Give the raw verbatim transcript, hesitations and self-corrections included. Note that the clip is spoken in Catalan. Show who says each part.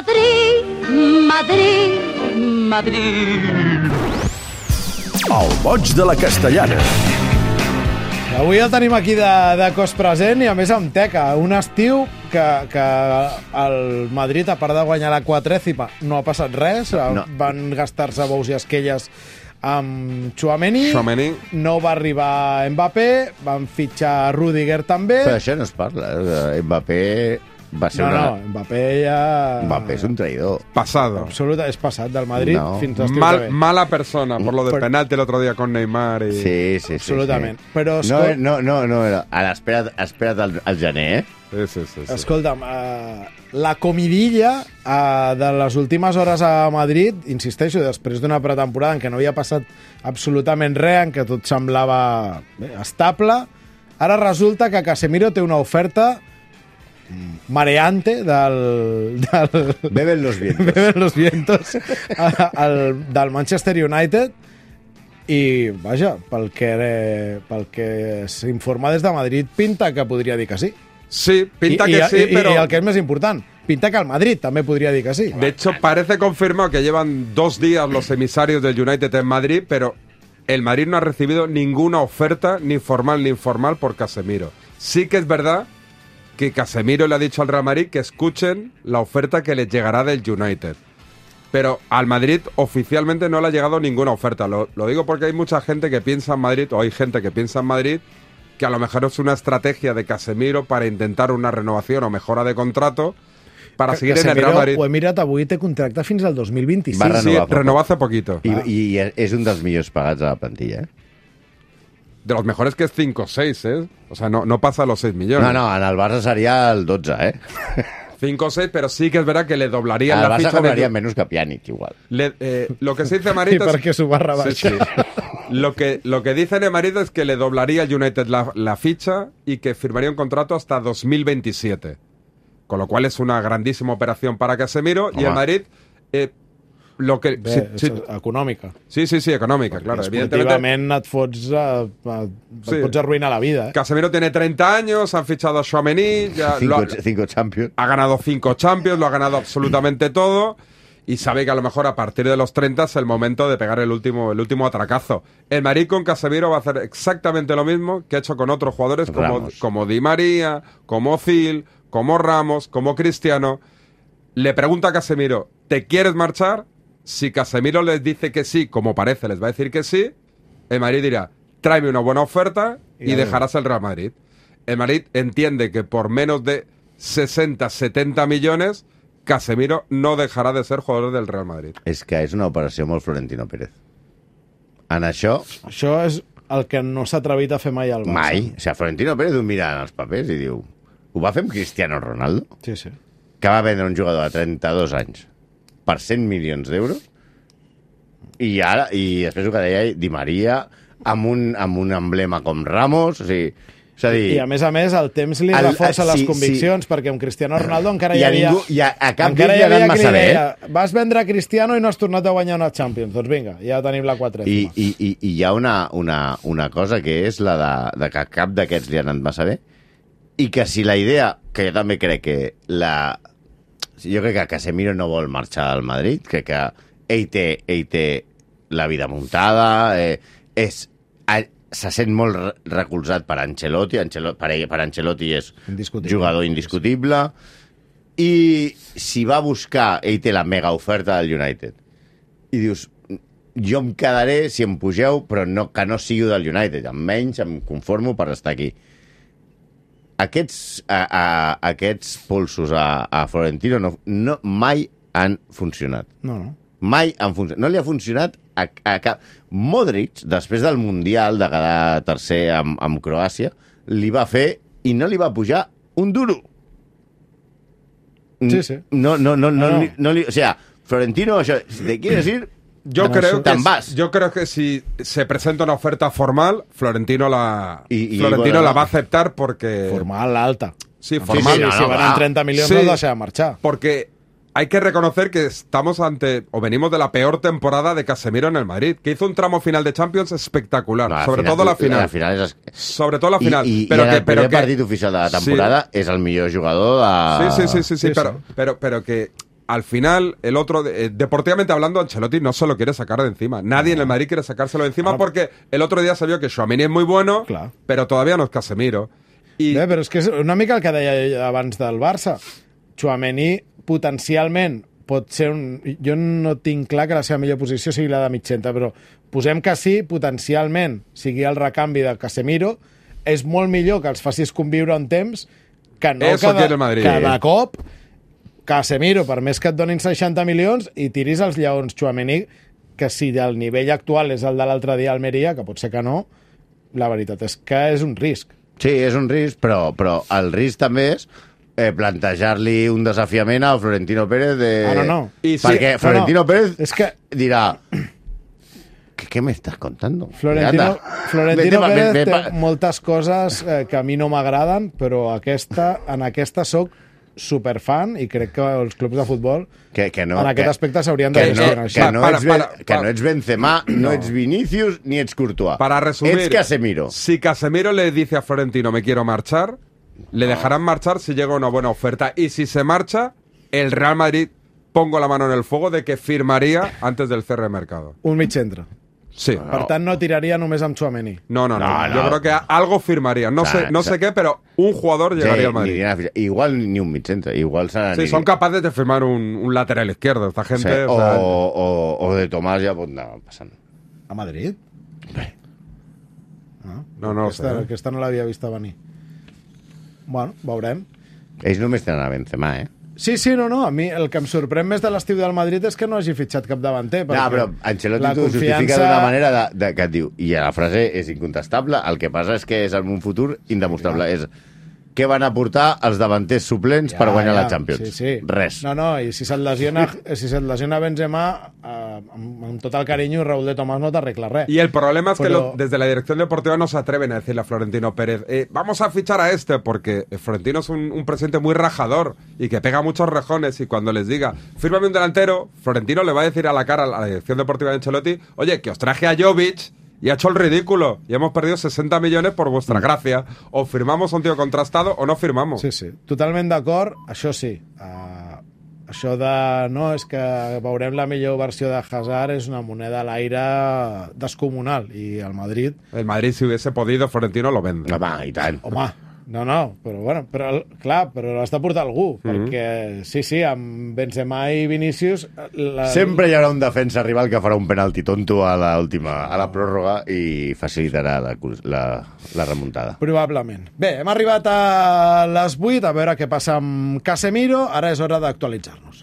Speaker 1: Madrid, Madrid, Madrid.
Speaker 2: El boig de la Castellana.
Speaker 3: Avui el tenim aquí de, de cos present i a més amb teca. Un estiu que, que el Madrid, a part de guanyar la quadrècima, no ha passat res. No. Van gastar-se bous i esquelles amb Tchouaméni.
Speaker 4: Tchouaméni.
Speaker 3: No va arribar Mbappé. Van fitxar Rüdiger també.
Speaker 5: Però això no es parla. Mbappé va ser
Speaker 3: no,
Speaker 5: una...
Speaker 3: No, Mbappé ja...
Speaker 5: Mbappé és un traïdor.
Speaker 4: Pasado.
Speaker 3: Absoluta, és passat del Madrid
Speaker 5: no.
Speaker 3: fins a l'estiu
Speaker 4: Mal,
Speaker 3: que ve.
Speaker 4: Mala persona, por lo del
Speaker 3: Però...
Speaker 4: penalti el otro día con Neymar. Y...
Speaker 5: Sí, sí, sí.
Speaker 3: Absolutament.
Speaker 5: Sí.
Speaker 3: Però,
Speaker 5: no,
Speaker 3: escol...
Speaker 5: no, no, no, no. Ara, espera't, espera't al, al gener, eh?
Speaker 4: Sí, sí, sí, sí.
Speaker 3: Escolta'm, uh, la comidilla uh, de les últimes hores a Madrid, insisteixo, després d'una pretemporada en què no havia passat absolutament res, en què tot semblava bé, estable, ara resulta que Casemiro té una oferta mareante del, del
Speaker 5: Beben los vientos.
Speaker 3: Beben los vientos al, del Manchester United i, vaja, pel que, pel que s'informa des de Madrid, pinta que podria dir que sí.
Speaker 4: Sí, pinta
Speaker 3: I,
Speaker 4: que
Speaker 3: i,
Speaker 4: sí,
Speaker 3: i,
Speaker 4: pero...
Speaker 3: I el que és més important, pinta que el Madrid també podria dir que sí.
Speaker 4: De hecho, parece confirmado que llevan dos días los emisarios del United en Madrid, pero el Madrid no ha recibido ninguna oferta, ni formal ni informal, por Casemiro. Sí que es verdad que Casemiro le ha dicho al Real Madrid que escuchen la oferta que les llegará del United. Pero al Madrid oficialmente no le ha llegado ninguna oferta. Lo, lo digo porque hay mucha gente que piensa en Madrid, o hay gente que piensa en Madrid, que a lo mejor es una estrategia de Casemiro para intentar una renovación o mejora de contrato para seguir en el Real Madrid.
Speaker 3: Ho he mirat, avui té contracte fins al dos mil vint-i-sis.
Speaker 5: Va
Speaker 4: Sí,
Speaker 5: renovar
Speaker 4: renovó hace poquito.
Speaker 5: I, I és un dels millors pagats a la plantilla, eh?
Speaker 4: De los mejores que es cinco o seis, ¿eh? O sea, no, no pasa los seis millones.
Speaker 5: No, no, en el Barça seria el dotze, eh?
Speaker 4: cinco o seis, pero sí que es verdad que le doblarían
Speaker 5: Al
Speaker 4: la
Speaker 5: Barça
Speaker 4: ficha.
Speaker 5: cobraria
Speaker 4: de...
Speaker 5: menys que Pjanic, igual.
Speaker 4: Le, eh, lo que se dice
Speaker 3: I
Speaker 4: Marito es...
Speaker 3: perquè s'ho va rebaixar.
Speaker 4: Sí, sí. Lo que, lo que dice Marito es que le doblaría el United la, la ficha y que firmaría un contrato hasta dos mil veintisiete. Con lo cual es una grandísima operación para Casemiro. Home. Y el Madrid... Eh, lo que,
Speaker 3: Bé,
Speaker 4: sí,
Speaker 3: és
Speaker 4: sí,
Speaker 3: econòmica.
Speaker 4: sí, sí, sí, económica, claro.
Speaker 3: Esportivament et fots, uh, uh, et
Speaker 4: Sí.
Speaker 3: pots arruïnar la vida. Eh?
Speaker 4: Casemiro tiene treinta años, han fichado a Tchouaméni, ya
Speaker 5: Cinco,
Speaker 4: lo ha,
Speaker 5: cinco Champions.
Speaker 4: ha ganado cinco Champions, lo ha ganado absolutamente todo y sabe que a lo mejor a partir de los treinta es el momento de pegar el último, el último atracazo. El Madrid con Casemiro va a hacer exactamente lo mismo que ha hecho con otros jugadores como, como Di María, como Özil, como Ramos, como Cristiano. Le pregunta a Casemiro, ¿te quieres marchar? Si Casemiro les dice que sí, como parece, les va a decir que sí, el Madrid dirá, tráeme una buena oferta y, y dejarás el Real Madrid. El Madrid entiende que por menos de sesenta, setenta millones, Casemiro no dejarà de ser jugador del Real Madrid.
Speaker 5: És que és una operació molt Florentino Pérez. En això...
Speaker 3: Això és el que no s'ha atrevit a fer mai al Barça.
Speaker 5: Mai. O sigui, Florentino Pérez ho mira en els papers i diu... Ho va fer amb Cristiano Ronaldo,
Speaker 3: Sí, sí.
Speaker 5: que va vendre un jugador de trenta-dos anys per cent milions d'euros, i ara, i després el que deia Di Maria, amb un, amb un emblema com Ramos, o sigui... És a dir,
Speaker 3: I a més a més el temps li
Speaker 5: el-
Speaker 3: reforça
Speaker 5: sí,
Speaker 3: les
Speaker 5: sí.
Speaker 3: conviccions, perquè amb Cristiano Ronaldo encara
Speaker 5: I
Speaker 3: hi
Speaker 5: a
Speaker 3: havia...
Speaker 5: ningú- i a- a cap
Speaker 3: encara
Speaker 5: d'ells
Speaker 3: hi
Speaker 5: li ha
Speaker 3: havia
Speaker 5: anat
Speaker 3: qui li
Speaker 5: massa bé,
Speaker 3: deia, vas vendre Cristiano i no has tornat a guanyar una Champions. Doncs vinga, ja tenim la
Speaker 5: I,
Speaker 3: quadrècima.
Speaker 5: i, i, i hi ha una, una, una cosa que és la de, de que cap d'aquests li ha anat massa bé, i que si la idea, que jo també crec que la... Jo crec que Casemiro no vol marxar al Madrid, crec que ell té, ell té la vida muntada, eh, és, a, se sent molt re- recolzat per Ancelotti, Ancelotti per, ell, per Ancelotti és
Speaker 3: Indiscutible.
Speaker 5: jugador indiscutible, i si va buscar, ell té la mega oferta del United, i dius, jo em quedaré si em pugeu, però no, que no sigui del United, almenys em conformo per estar aquí. Aquests, a, a, aquests pulsos a, a Florentino no, no, mai han funcionat.
Speaker 3: No, no.
Speaker 5: Mai han funcionat. No li ha funcionat a, a cap... Modric, després del Mundial de quedar tercer amb, amb Croàcia, li va fer i no li va pujar un duro.
Speaker 3: Sí, sí.
Speaker 5: No, no, no, no,
Speaker 3: No, no.
Speaker 5: Li, no li, o sea, Florentino, això, si te quieres ir,
Speaker 4: Yo
Speaker 3: Bueno,
Speaker 4: creo,
Speaker 3: eso-
Speaker 4: que,
Speaker 5: Tan vas.
Speaker 4: yo creo que si se presenta una oferta formal, Florentino la,
Speaker 5: Y- y
Speaker 4: Florentino
Speaker 5: bueno,
Speaker 4: la
Speaker 5: no.
Speaker 4: va a aceptar porque...
Speaker 3: Formal alta.
Speaker 4: Sí,
Speaker 3: Sí,
Speaker 4: formal.
Speaker 3: sí,
Speaker 5: no,
Speaker 3: si
Speaker 5: no,
Speaker 3: van
Speaker 5: clar.
Speaker 3: en trenta milions
Speaker 4: Sí.
Speaker 3: no deixa de marxar.
Speaker 4: Porque hay que reconocer que estamos ante, o venimos de la peor temporada de Casemiro en el Madrid, que hizo un tramo final de Champions espectacular,
Speaker 5: la
Speaker 4: sobre
Speaker 5: final-
Speaker 4: todo la final.
Speaker 5: La final és...
Speaker 4: Sobre todo la final.
Speaker 5: I, i,
Speaker 4: pero
Speaker 5: i en
Speaker 4: que,
Speaker 5: el
Speaker 4: pero
Speaker 5: primer
Speaker 4: que,
Speaker 5: partit oficial de la temporada
Speaker 4: Sí.
Speaker 5: és el millor jugador de...
Speaker 4: Sí, sí, sí, sí, sí,
Speaker 3: Sí,
Speaker 4: pero,
Speaker 3: sí.
Speaker 4: pero, pero que al final, el otro, eh, deportivamente hablando, Ancelotti no se lo quiere sacar de encima. Nadie en el Madrid quiere sacárselo de encima porque el otro día se vio que Tchouaméni es muy bueno,
Speaker 3: Clar.
Speaker 4: pero todavía no es Casemiro. I...
Speaker 3: Bé, però és que és una mica el que deia abans del Barça. Tchouaméni potencialment pot ser un... Jo no tinc clar que la seva millor posició sigui la de mitjenta, però posem que sí, potencialment sigui el recanvi de Casemiro, és molt millor que els facis conviure un temps que no
Speaker 4: Eso
Speaker 3: cada,
Speaker 4: quiere el Madrid.
Speaker 3: cada cop Casemiro, per més que et donin seixanta milions, i tiris els lleons Tchouaméni, que si el nivell actual és el de l'altre dia a Almeria, que pot ser que no, la veritat és que és un risc.
Speaker 5: Sí, és un risc, però, però el risc també és eh, plantejar-li un desafiament a Florentino Pérez de...
Speaker 3: Ah, no, no.
Speaker 4: I sí,
Speaker 5: Perquè
Speaker 3: no,
Speaker 5: Florentino
Speaker 3: no.
Speaker 5: Pérez
Speaker 3: És que...
Speaker 5: dirà... ¿Qué, ¿Qué me estás contando?
Speaker 3: Florentino,
Speaker 5: Anda.
Speaker 3: Florentino
Speaker 5: Vete,
Speaker 3: Pérez
Speaker 5: ve- ve-
Speaker 3: té
Speaker 5: pa-
Speaker 3: moltes coses eh, que a mi no m'agraden, però aquesta, en aquesta soc superfan i crec que els clubs de futbol
Speaker 5: Que, que no,
Speaker 3: en aquest
Speaker 5: que,
Speaker 3: aspecte s'haurien de
Speaker 5: que, no,
Speaker 3: gestionar
Speaker 5: que,
Speaker 3: així.
Speaker 5: no
Speaker 4: Para,
Speaker 5: ets,
Speaker 4: para,
Speaker 5: Ben-
Speaker 4: para.
Speaker 5: que no ets Benzema, no,
Speaker 3: No.
Speaker 5: ets Vinicius ni ets Courtois.
Speaker 4: Para resumir,
Speaker 5: Ets Casemiro.
Speaker 4: si Casemiro le dice a Florentino me quiero marchar, le dejarán marchar si llega una buena oferta. Y si se marcha, el Real Madrid, pongo la mano en el fuego de que firmaría antes del cierre de mercado.
Speaker 3: Un mig centre.
Speaker 4: Sí.
Speaker 3: Per tant, no tiraria només amb Tchouaméni.
Speaker 4: No, no, no,
Speaker 5: No,
Speaker 4: Yo
Speaker 5: no.
Speaker 4: creo que algo firmaría. No,
Speaker 5: O sea,
Speaker 4: sé, no
Speaker 5: o sea-
Speaker 4: sé qué, pero un jugador llegaría
Speaker 5: Sí,
Speaker 4: al Madrid.
Speaker 5: ni dirà- igual ni un mig centre, igual serà...
Speaker 4: Sí,
Speaker 5: ni-
Speaker 4: son capaces de firmar un, un lateral izquierdo. Esta
Speaker 5: sí,
Speaker 4: gente.
Speaker 5: o,
Speaker 4: o sea,
Speaker 5: o, o de Tomàs ja pot anar passant.
Speaker 3: A Madrid?
Speaker 5: Bé.
Speaker 3: No,
Speaker 4: No, no ho
Speaker 3: aquesta,
Speaker 4: sé, eh?
Speaker 3: aquesta no l'havia vista venir. Bueno, veurem.
Speaker 5: Ells només tenen a Benzema, eh?
Speaker 3: Sí, sí, no, no. A mi el que em sorprèn més de l'estiu del Madrid és que no hagi fitxat cap davanter.
Speaker 5: No,
Speaker 3: perquè
Speaker 5: però Ancelotti
Speaker 3: la
Speaker 5: t'ho justifica
Speaker 3: confiança-
Speaker 5: d'una manera de, de, que et diu, i la frase és incontestable, el que passa és que és en un futur indemostrable. És què van aportar els davanters suplents per guanyar la Champions?
Speaker 3: Sí, sí.
Speaker 5: Res.
Speaker 3: No, no, i si se't lesiona, si se't lesiona Benzema, eh, amb, amb tot el carinyo, Raúl de Tomàs no t'arregla res.
Speaker 4: Y el problema es que
Speaker 3: Pero-
Speaker 4: lo- desde la dirección deportiva no se atreven a decirle a Florentino Pérez, eh, vamos a fichar a este, porque Florentino es un, un presidente muy rajador y que pega muchos rejones, y cuando les diga, fírmame un delantero, Florentino le va a decir a la cara a la dirección deportiva de Ancelotti, oye, que os traje a Jovic y ha hecho el ridículo y hemos perdido sesenta millones por vuestra gracia. O firmamos a un tío contrastado o no firmamos.
Speaker 3: Sí, sí, totalment d'acord, això sí. Uh, això de, no, és que veurem la millor versió de Hazard és una moneda a l'aire descomunal, i el Madrid,
Speaker 4: El Madrid, si hubiese podido, Florentino lo vende.
Speaker 5: Home, i tant.
Speaker 3: home, no, no, però bueno, però, clar, però l'has de portar algú, perquè sí, sí, amb Benzema i Vinícius... La,
Speaker 5: Sempre hi haurà un defensa rival que farà un penalti tonto a l'última, a la pròrroga i facilitarà la, la, la remuntada.
Speaker 3: Probablement. Bé, hem arribat a les vuit, a veure què passa amb Casemiro, ara és hora d'actualitzar-nos.